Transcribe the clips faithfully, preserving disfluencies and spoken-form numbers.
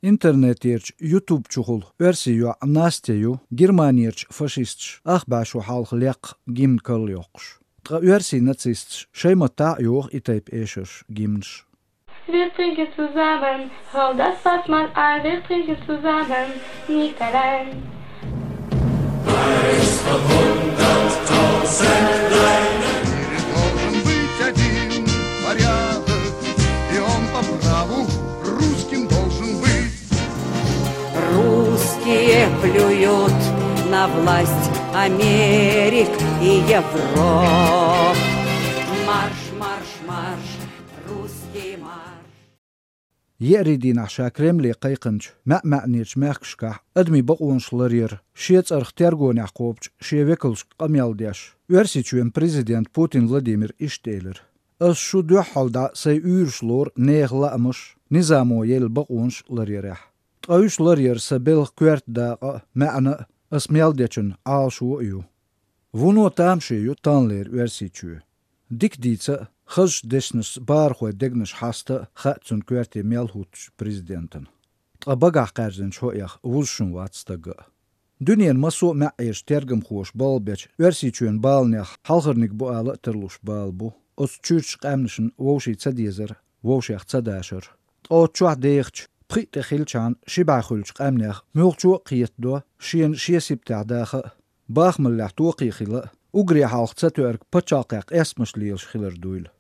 Интернетерчу YouTube чухула оьрсийн йоӀ Настя ю Германерчу фашисташа ах бӀе шо хьалха лекха гимн карла йоккхуш. Ткъа оьрсийн нацисташа шайн маттахь а йоху и тайпа эшарш, гимнаш. Wir trinken zusammen, hol das Fass mal ein, wir trinken zusammen, nicht allein. Мире должен быть один порядок, и он по праву русским должен быть. Русские плюют на власть Америк и Европ. Марш, марш, марш, русский марш. Еарин дийнахь ша Кремле кхайкхинчу маьӀ-маьӀнерчу мехкашкахь адамийн бакъонаш ларъяр шен цӀарах тергонехь кхобучу шен векалшка къамел деш, Оьрсийчоьнан президента Путин Владимира иштта элира: «Ас шу дуьххьал дӀа сайн уьйраш лору нехан лаамаш, низамо елла бакъонаш ларъярехь. Ткъа уьш ларъяр сан белхан коьрта дакъа а, маьӀна а, ас мел дечун Ӏалашо а ю». Вуно тамаше ю таханлера Оьрсийчоь. Дика дийца а, хазачу дешнашца бахархойн дегнаш хьаста а хаьа цуьнан коьрте мел хӀуттучу президентана. Ткъа багахь кхаьржинчу хӀоъех вузашна вац стага а. Дуьненан массо а маьӀӀерчу тергамхоша балла бечу Оьрсийчоьнан баланех хьалхарниг бу ала а тарлуш бала бу оцу чуьрачу къаьмнашна вовшийн ца дезар, вовшех ца дашар. Ткъа оцу чохь дехачу пхиъ тӀе хилчахьана ши бӀе хуьлучу къаьмнех муьлххачо а кхетадо шена шен сибатехь даха а, бахамаллехь токхе хила а, уггаре хьалха цатоьург пачхьалкхехь къестамаш лелаш хилар дуйла.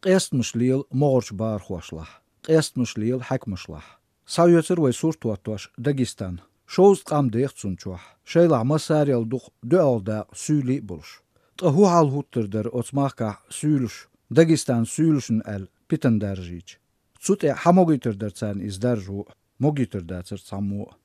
Къестамаш лела могӀарчу бахархошлахь, къестамаш лела хьаькамашлахь. Схьаоьцура вай сурт хӀоттош Дагестан. Шовзткъа къам деха цунна чохь, шайлахь массарел дукха дуьхьал дакъа суьйлий а болуш. Ткъа хӀун хьал хӀуттур дара оцу махкахь суьйлуш, Дагестанан суьйлушна аьлла, питана даржийча? Цу тӀе хьан могуьйтур дара царна иза даржо а, могуьйтур дацара цхьаммо а.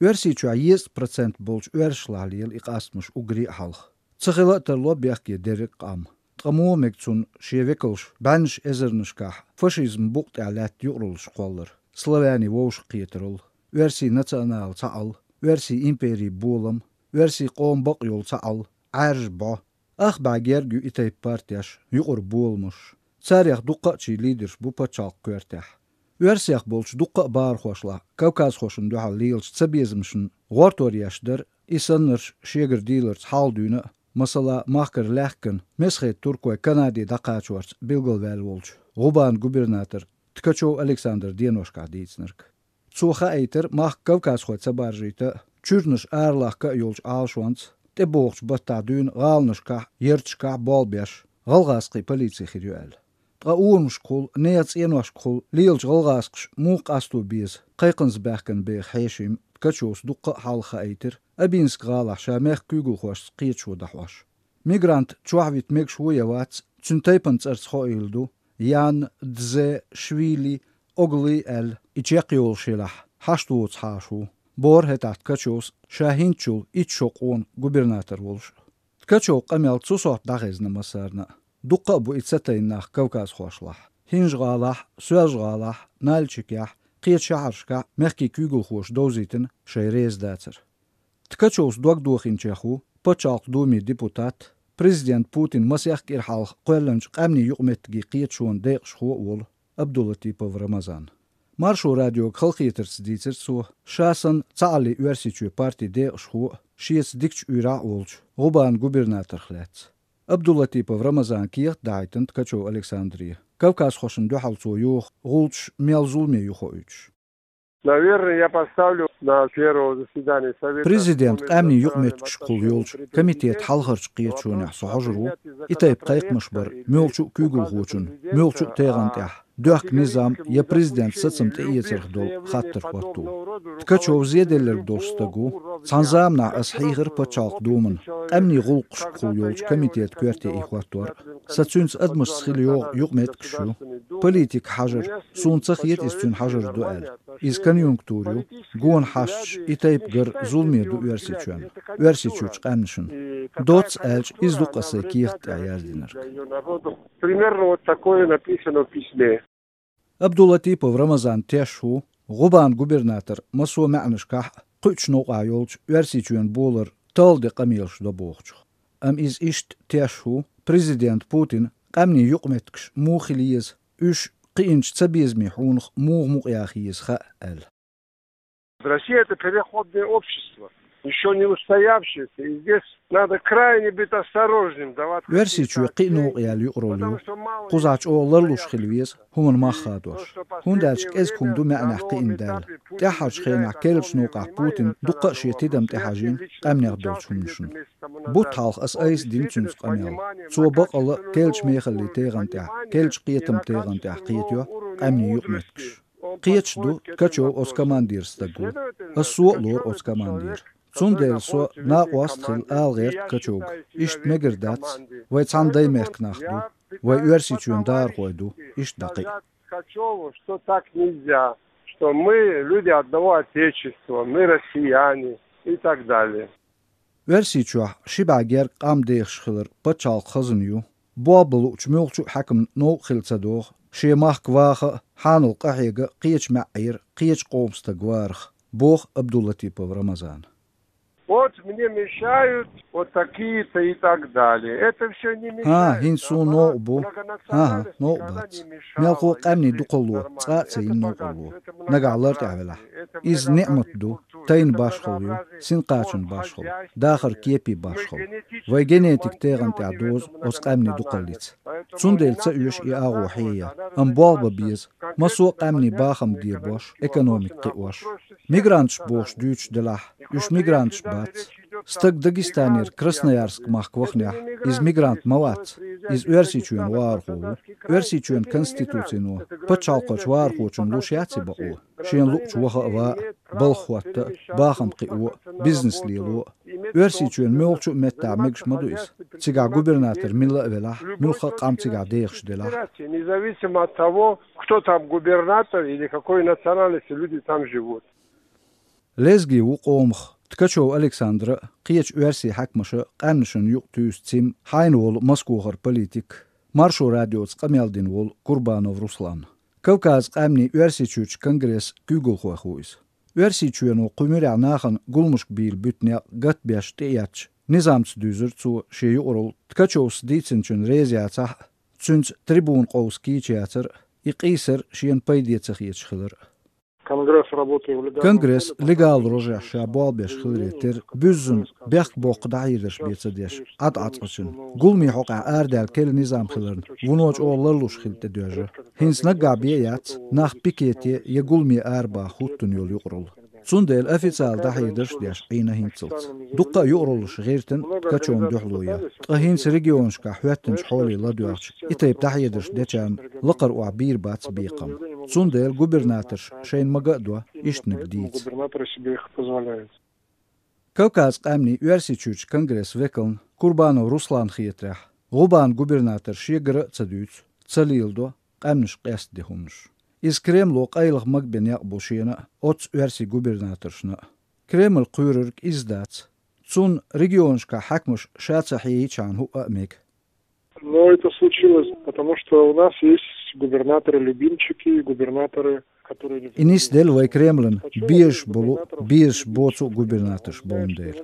Оьрсийчохь езткъа процент болчу оьрсашлахь лела и къастамаш уггаре а хьалха. Ца хила а тарло бехке дерриг а къам. Ткъа муха мега цунна шен векалш бӀеннаш эзарнашкахь фашизман букъа тӀехь лаьтта юкъараллаш кхоллар, славянийн вовшахкхетаралла, оьрсийн национал цхьаалла, оьрсийн империн болам, оьрсийн къоман бакъ йолу цхьаалла, Ӏаьржа бӀо? Ах бӀе герга ю и тайпа партеш, юкъара боламаш. Царех дуккха а чий лидерш бу пачхьалкхан коьртехь. Оьрсех болчу дуккха а бахархошлахь кавказхошна дуьхьал лелачу цабезамашна гӀортор еш дара и саннарш шегара дийларца хьалха дуьйна а, масала, махкара лаьхкина, Месхетан туркой Канаде дӀакхачорца билгалваьлла волчу ГӀубан губернатор Ткачев Александра деношкахь дийцинарг. Цо хаийтира махка кавказхой ца баржийта а, чуьрнаш аралахка а йолчу Ӏалашонца, тӀебогӀучу баттахь дуьйна гӀаланашкахь, ярташкахь болх беш, гӀалгӀазкхийн полици хир ю аьлла. Ткъа урамашкахула, нехан цӀеношкахула лелачу гӀалгӀазкхаша муха къасто беза кхайкхаза баьхкина беха хьешим? Ткачевс дуккха а хьалха хаийтира Абинск-гӀалахь ша мехкан куьйгалхошца кхеташо дӀахьош. Мигрант чохь вита мегаш ву я вац, цуьнан тайпана цӀарца хоийла ду, Ян Дзе Швили Оглы аьлла, и чекхйолуш елахь, хьашт воцу хьаша ву, бохура хӀетахь Ткачевс, ша хӀинцачул итт шо къона губернатор волуш. Ткачевн къамел цу сохьта дӀахезна массарна а. Дуккха а бу и ца тайна нах кавказхошлахь. ХӀинжа-гӀалахь, Соьлжа-гӀалахь, Нальчикехь, кхечу шахьаршкахь мехкийн куьйгалхоша довзийтина шайн реза дацар. Ткачевс дог дохийначех ву Пачхьалкхан Думин депутат, президент Путин масех кӀира хьалха кхоьллинчу къаьмнийн юкъаметтигийн кхеташонан декъашхо а волу Абдулатипов Рамазан. Маршо радиога халахетарца дийцира цо, ша санна цхьааллин Оьрсийчоь партин декъашхо а, шеца дикачу уьйрахь а волчу ГӀубан губернаторх лаьцна. Абдулатипов Рамазана кехат дахьийтина Ткачев Александре, кавказхошна дуьхьал цо йоху гӀулчаш мел зуламе ю хоуьйтуш. Наверное, я поставлю на первое заседание Совета по межнациональным отношениям. Президент къаьмнийн юкъаметтигашкахула йолчу комитет хьалхарчу кхеташонехь со хьожур ву, и тайпа кхайкхамаш бар муьлххачу а куьйгалхочун, муьлххачу а тегӀан тӀехь доьхку низам я президент сацам тӀеэцарх долу хаттар хӀотто. Ткачев зеделларг долуш стаг ву. Цхьана заманахь ас хьийхира Пачхьалкхан Думана къаьмнийн гӀуллакхашкахула йолчу комитетан коьрте и хӀоттор а. Сан цуьнца адамашца хила йогӀу юкъаметтигаш ю. Политика хьажар, суна ца хета иза цуьнан хьажар ду аьлла. Иза конъюнктура ю, гонаха хьашташ и тайпа гар зуламе ду Оьрсийчоьнна, Оьрсийчуьрчу къаьмнашна. Доцца аьлча, иза ду-кх аса сайн кехат тӀехь яздинарг. Примерно вот такое написано в письме. Абдулатипов Рамазан теш ву, ГӀубан губернатор массо а маьӀнашкахь а кхуьучу новкъахь йолчу Оьрсийчоьнан болар талла де къамелаш до бохучух. Амма иза иштта теш ву, президент Путина къаьмнийн юкъаметтигаш муха хила еза, уьш кхиъначу цабезамийн хьунах муха мукъаяха еза хаьа аьлла. Россия — это переходное общество, еще не устоявшееся. И здесь надо крайне быть осторожным, давать... Оьрсийчоь кхиъ новкъа яьлла юкъаралла ю. Кхузахь чӀогӀа ларлуш хила веза, хӀуманна мах хадош. ХӀунда аьлча кӀезига хӀума ду маьӀнехь кхиъна даьлла. ТӀаьххьарчу хенахь керлачу новкъахь Путина дуккха а шен тидам тӀехьажийна къаьмнех долчу хӀуманашна. Бутт хьалха аса айса дина цуьнца къамел. Цо бакъалла керлачу мехаллин тегӀан тӀехь, керлачу кхетаман тегӀан тӀехь кхетайо къаьмнийн юкъаметтигаш. Кхеташ ду, Ткачев оцу командин стаг ву. Аса со а лору оцу командера. Цундела со накъост а хилла ала гӀерта Ткачевга: иштта мегар дац, вай цхьана даймехкан нах ду, вай Оьрсийчоьнан дакъахой ду, иштта дӀакхиъна. Ткачеву, что так нельзя, что мы люди одного отечества, мы россияне и так далее. Оьрсийчохь ши бӀе гергга къам дехаш хилар пачхьалкхан хазна ю. Болх бан луучу муьлххачу а хьаькамна новкъа хила ца догӀу шен махка ваха а, хьанал къахьега а кхечу маьӀӀера, кхечу къоман стаг варах, боху Абдулатипов Рамазана. Вот мне мешают вот такие-то и так далее. Это все не мешает. ХӀан, хӀинца суна новкъа бу. ХӀан-хӀа, новкъа бац. Мелхо а къаьмнийн дукхалло цкъа а ца йина новкъарло, нагахь лар тӀехь велахь. Иза ниӀмат ду, тайна башхалла ю, синкхачан башхалла, дахаран кепийн башхалла. Вайн генетикан тегӀан тӀехь дозу оцу къаьмнийн дукхаллица. Цундела ца оьшу и агӀо хьеян, амма болх бан беза, массо а къаьмнийн бахам дебош, экономика кхиош. Мигранташ бохуш дуьйцуш делахь, уьш мигранташ бац. Стаг Дагестанера Красноярск махка вахнехь, иза мигрант ма вац, иза Оьрсийчоьнан вахархо ву. Оьрсийчоьнан конституцино пачхьалкхерчу вахархочунна луш яц и бакъо, шена луучу ваха а, ван а, балха хӀотта а, бахам кхио а, бизнес лело а. Оьрсийчоьнан муьлххачу а меттехь мегаш ма ду иза, цигахь губернатор милла а велахь, муьлхха а къам цигахь дехаш делахь. Независимо от того, кто там губернатор или какой национальности люди там живут. Лезги ву къомах Ткачев Александра а, кхечу оьрсийн хьаькамаша а къаьмнашна юкъа туьйсу цхьа хьайна волу Москвахара политик, Маршо радиоца къамел дина волу Курбанов Руслан. Кавказан къаьмнийн Оьрсийчуьрчу конгрессан куьйгалхойх ву иза. Оьрсийчоьно кху муьрехь нахана гуламашка бийла буьту некъ гатбеш тӀеэцначу низамца дуьзира цо шен юкъаралла, Ткачевс дийцинчунна реза яцахь а, цуьнца трибуна къовса кийча яцар а, и къийсар шена пайде ца хеташ хилар а. Конгресс работает в легальном... Конгресс легал рожехь ша болх беш хиларе терра, буьззина бехк боккха дӀахьедарш бен ца деш, Ӏад Ӏацкъачун. Гуламийн хьокъехь арадаьлла керла низам хиларна, вуно чӀогӀа ларлуш хилла тӀедоьжна. ХӀинца наггахь бен а яц нах пикете я гуламе арабаха хӀуттун йолу юкъаралла. Цундела официалан дӀахьедарш а деш Ӏийна хӀинццалц. Дуккха а юкъараллаш гӀиртина Ткачевна дуьхьало ян. Ткъа хӀинца регионашкахь хӀоьттинчу хьоле ладоьгӀча, и тайпа дӀахьедарш дечарна лакхара охьа бийр бац бекхам. Цундела губернаторша шайна мага а до, иштаниг дийца. Губернаторы себе их позволяют. Кавказан къаьмнийн Оьрсийчуьрчу конгрессан векална Курбанов Русланна хетарехь, ГӀубанан губернатора шегара а ца дуьйцу, ца леладо къаьмнаш къестаде хӀуманаш. Иза Кремло къайлаха магабен некъ бу шена а, оццу оьрсийн губернаторшна а. Кремль кхоьрург иза дац. Цунна регионашкахь хьаькамаш ша ца хьеийчхьана хӀуъа а мега. Но это случилось, потому что у нас есть губернаторы-любимчики, губернаторы, которые не... И нисделла вай Кремлан безаш болу, безаш боцу а губернаторш болун дела.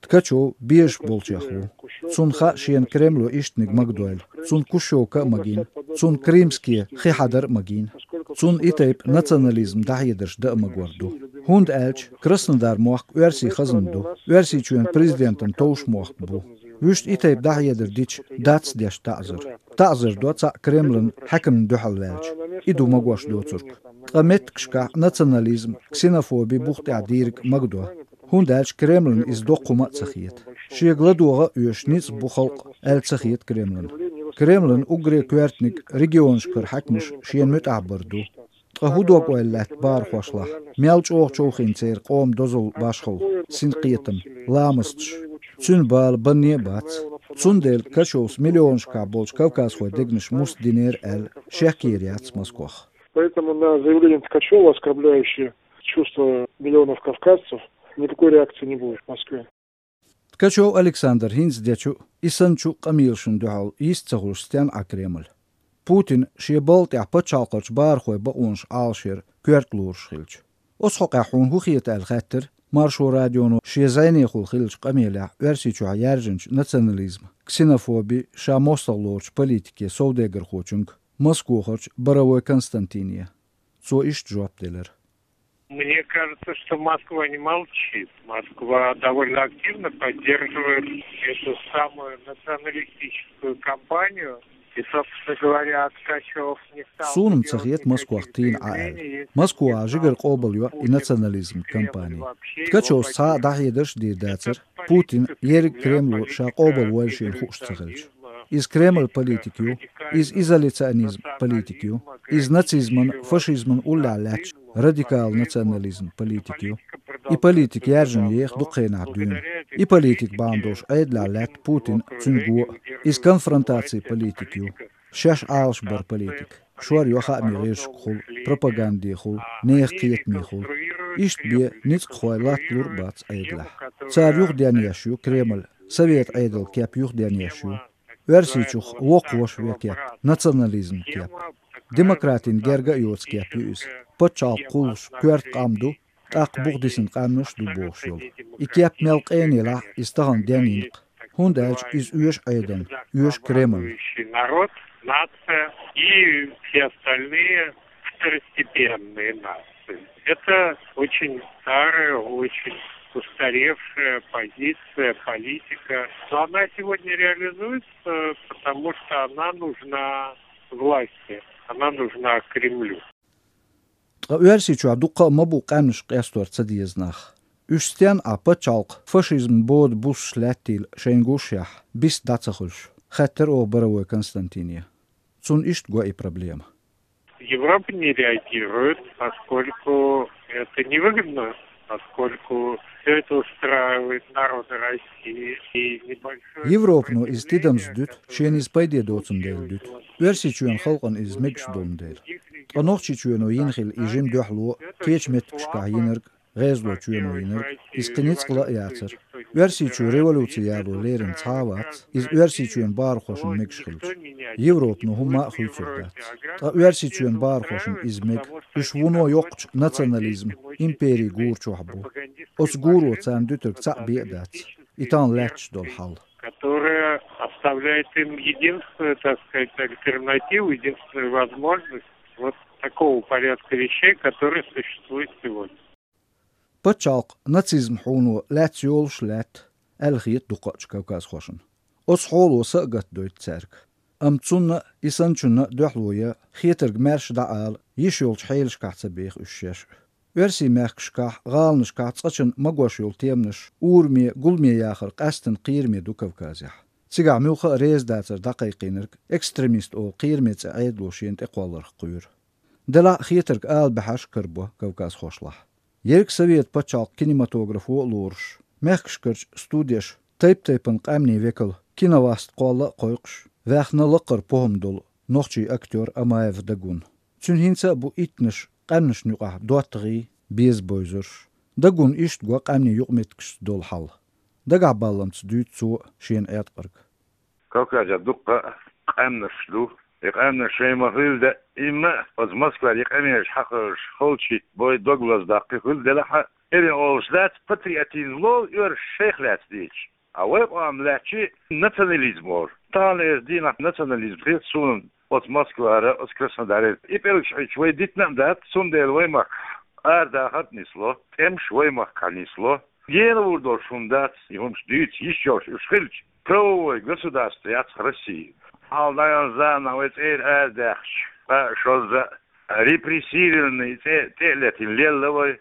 Ткачев безаш болчех ву. Цунна хаьа шена Кремло иштаниг магадойла. Цунна Кущевка а магийна, цунна Крымский хи хьадар а магийна. Цунна и тайпа национализм дӀахьедарш дан а магор ду. ХӀунда аьлча Краснодар мохк оьрсийн хазна ду, Оьрсийчоьнан президентан товш мохк бу. Вуьшта и тайпа дӀахьедар дича дац деш таӀзар. ТаӀзар до цхьаъ Кремлан хьаькамна дуьхьал ваьлча. И ду магош доцург. Ткъа меттигашкахь национализм, ксенофоби бух тӀехь дийриг магадо. ХӀунда аьлча Кремлан иза доккха хӀума а ца хета. Шега ладогӀа а оьшуш ницкъ бу халкъ аьлла ца хета Кремлан. Кремлан уггаре коьртаниг регионашкара хьаькамаш шена муьтӀахь бар ду. Ткъа хӀун дог-ойла лаьтта бахархошлахь, мел чӀогӀа човхийна церан къоман дозалла, башхалла, синкхетам, ламасташ? Цуьнан бала банне а бац. Цундела Ткачевс миллионашкахь болчу кавказхойн дегнаш муст динера аьлла, шек йийр яц Москвах. Поэтому на заявление Ткачева, оскорбляющее чувства миллионов кавказцев, никакой реакции не будет в Москве. Ткачев Александр хӀинца дечу, и санначу къамелашна дуьхьал йист ца хуьлуш стенна Ӏа Кремль? Путина шен балха тӀехь пачхьалкхарчу бахархойн бакъонаш Ӏалашъяр коьрта лоруш хилча. Оцу хьокъехь хьуна хӀун хета аьлла хаьттира Маршо радионо шен зӀенехула хиллачу къамелехь Оьрсийчохь яьржинчу национализман, ксенофобин ша мостагӀа лоручу политикан совдегархочуьнга, Москвахарчу Боровой Константине. Цо иштта жоп делира. Мне кажется, что Москва не молчит. Москва довольно активно поддерживает эту самую националистическую кампанию. И, собственно говоря, Ткачев не стал... Суна-м ца хета Москох тӀера Ӏа аьлла. Москва жигара къобал йо и национализм кампани. Ткачевс цхьа а дӀахьедарш а дийр дацар, Путин ерриг Кремло ша къобалвойла шена хууш ца хилча. Иза Кремль политика ю, иза изоляционизм политика ю, иза нацизман, фашизман уллехь лаьтташ радикал национализм политика ю. И политика яьржина еха дукха хенахь дуьйна. И политика бахьана долуш Ӏедалехь лаьтта Путин а, цуьнан го а. Иза конфронтаци политика ю. Шаьш Ӏалашбар политика. Шор йо хаамийн гӀирсашкахула, пропагандехула, нехан кхетамехула. Иштта бен ницкъахой латталур а бац Ӏедалехь. Цара юхаденъеш ю Кремль, совет Ӏедал кеп юхаденъеш ю. Оьрсийчух воккхавеш вен кеп, национализм кеп. Демократин герга а йоцу кеп ю иза. Пачхьалкх кхуллуш коьрта къам ду, тӀаккха бухадисина къаьмнаш а ду бохуш йолу. И кеп мел къена елахь а, иза тахана денйина-кх. ХӀунда аьлча иза оьшу Ӏедална, оьшу Кремльна. Народ, нация и все остальные второстепенные нации. Это очень старая, очень устаревшая позиция, политика. Но она сегодня реализуется, потому что она нужна власти, она нужна Кремлю. Ткъа Оьрсийчохь дуккха а ма бу къаьмнаш къестор ца деза нах. Уьш стенна Ӏа пачхьалкх фашизман бода буссуш лаьттийла шайна гушшехь, бист дӀа ца хуьлуш, хаьттира оха Боровой Константине. Цунна иштта го и проблема. Европа не реагирует, поскольку это невыгодно, поскольку все это устраивает народы России и небольшое... Европано иза тидамза дуьту, шена иза пайде доцун дела дуьту. Оьрсийчоьнан халкъана иза мегаш долун дела. Ткъа Нохчийчоьно йина хила и жима дуьхьало кечу меттигашкахь йинарг, ГӀезалочоьно йинарг, иза кхин ницкъ ла а яцара. Оьрсийчоь революци яло лерина цхьа а вац, иза Оьрсийчоьнан бахархошна мегаш хилча. Европано хӀумма а хуьйцур дац. Ткъа Оьрсийчоьнан бахархошна иза мега, уьш вуно йоккхачу национализм, импери гура чохь бу. Оцу гуро царна дуьтург цхьаъ бен а дац. И тахана лаьтташ долу хьал. Которая оставляет им единственную, так сказать, альтернативу, единственную возможность вот такого порядка вещей, который существует сегодня. Пачхьалкх нацизм хьуно лаьцна йолуш а лаьтта, аьлла хета дукхачу кавказхошна. Оцу хьоло са а гатдойту цаьрга. Амма цунна а, и санначунна а дуьхьало ян, хетарг маьрша дӀаала, йиш йолчу хьелашкахь ца беха уьш шаьш а. Оьрсийн мехкашкахь, гӀаланашкахь цкъачунна магош йолу теманаш ураме, гуламе яхар къаьсттина кхераме ду Кавказехь. Цигахь муьлхха а реза дацар дӀакхайкхийнарг экстремист олу кхераме цӀе Ӏедало шена тӀекхолларх кхоьру. Делахь а хетарг ала баьхьарш а карабо кавказхошлахь. Ерриг Совет пачхьалкх кинематографо а лоруш, мехкашкарчу студеш тайп-тайпана къаьмнийн векал киноваст кхолла а кхойкхуш, ваьхна лаккхара похӀма долу нохчийн актёр Амаев Дагун. Цуьнан хӀинца а бу иттанаш къаьмнашна юкъахь доттагӀий, беза бовзарш. Дагун иштта го къаьмнийн юкъаметтигашца долу хьал. Дагахь-балламца дуьйцу цо шена Ӏеткъарг. Кавказехь дуккха а къаьмнаш ду. И къаьмнаш шайн ма хилла даимма а оцу Москвара и къамелаш хьахоьжуш, халчий бой дог лазадаккхий хилла делахь а, эрна олуш дац, патриотизм лолу оьрсаша шайх лаьцна дийцаш. А вай къам лаьттачи национализм олу. Таханлерчу дийнахь национализм хета суна оцу Москвара, оцу Краснодарера. И пӀелгаш хьуьйцуш вай дитина а дац, цундела вай махкахь арадахар а нисло, тӀемаш вай махкахь нисло. Гена вур долуш хӀума дац, и хӀумаш дуьйцу йиш йолуш уьш хилча, правовой государство яц Россия. Хьалха дӀаяьлла заманахь вай цӀера арадаьхча, ткъа шозза репрессированный цӀе тӀе а летина лелла вай.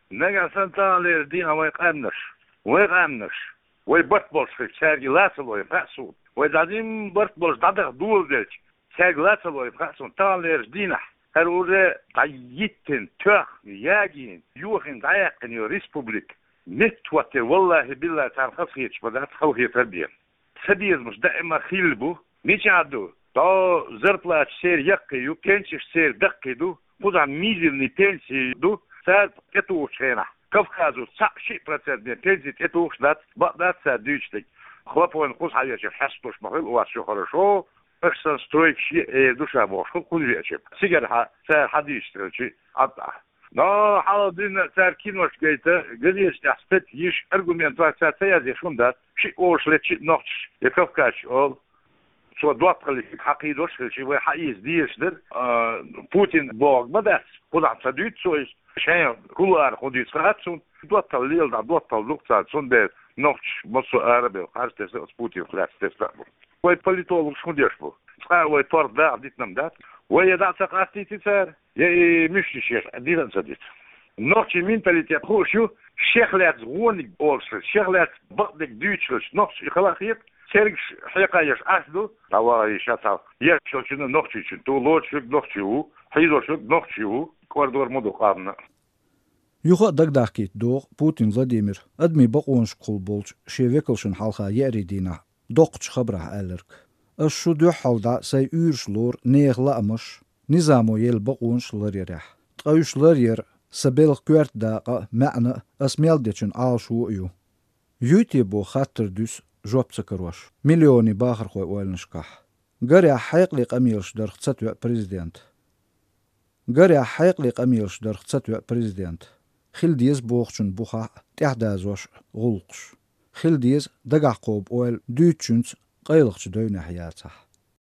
Нагахь санна таханлерчу дийнахь вай къаьмнаш, вай къаьмнаш, вай барт болуш хилча, цаьрга и ла ца лойла хаьа суна. Вай дӀадин барт болуш дӀадаха доладелча, цаьрга ла ца лойла хаьа суна. Таханлерчу дийнахь хӀара уже дӀайиттина, тоьхна, ягийна, йохийна, дӀаяьккхина йолу республика меттахӀоттийна, валлахӀи-биллахӀи, царна хазахеташ ма дац, халахетар бен. Цабезамаш даима хилла бу. Мичахь ду? ДӀо зарплаташ церан яккхий ю, пенсеш церан даккхий ду, кхузахь мизерный пенсии ду, цара тӀетухучу хенахь Кавказо цхьаъ-шиъ процент бен пенси тӀетухуш дац, бакъ дац цара дуьйцург. Хлопонна кхуза схьавечара хьесталуш ма хуьлу, у вас всё хорошо, аша санна стройкаш е а эр ду ша бохуш хуьлу кхуза веача. Цигара хьан цара хьан дийшаш хилча, Ӏад Ӏа. Но хьалха дийнахь цара киношка гайта, газеташ тӀехь статья йиш, аргументаш цара ца язъеш хӀума дац. Шиъ олуш летчи а нохчаш, я кавказчи олу. Цо доттагӀаллиг хьакхийдош хилчи, вай хьаийца дезаш дара. А, Путин бохург ма дац. Кхузахь ца дуьйцу цо иза. Шайн кулуарах хӀун дийца хаьа цунна, доттагӀал леладаьд, доттагӀал дукха царна, цундела нохчий массо а арабевлла харц тесна а, Путинах лаьцна тесна а бу. Вай политологаш хӀун деш бу? Цкъа а вай торгӀа дакъа дитина-м дац. Вай е дӀа ца къастийти цара, е и мишта шех дитина ца дита. Нохчий менталитет хууш ю, шех лаьцна вониг олуш, шех лаьцна бакъдерг дуьйцуш хилча, нохчий хала а хета, цергаш хьекха еш Ӏаш ду, дӀаваха еш ша цхьа. Еш йолчунна нохчийчун ту, лоцуш верг нохчий ву, хьийзош верг нохчий ву, кӀордор ма ду къамна. Юха а дагадахкийта догӀу Путин Владимира адамийн бакъонашкахула болчу шен векалшна хьалха еарин дийнахь доккхачу хабарехь аьлларг. Ас шу дуьххьал дӀа сайн уьйраш лору нехан лаамаш, низамо елла бакъонаш ларъярехь. Ткъа уьш ларъяр сан белхан коьрта дакъа а, маьӀна а, ас мел дечун Ӏалашо а ю. Юй те боху хаттар дуьсу жоп ца карош миллионийн бахархойн ойланашкахь. Гарехь, хьекъале къамелаш дарх ца тоьа президент. Гарехь, хьекъале къамелаш дарх ца тоьа президент. Хила деза бохучун бухахь а тӀаьхьадазош гӀуллакхаш. Хила деза дагахь кхобу ойла дуьйцучуьнца къайлахчу девнехь яцахь.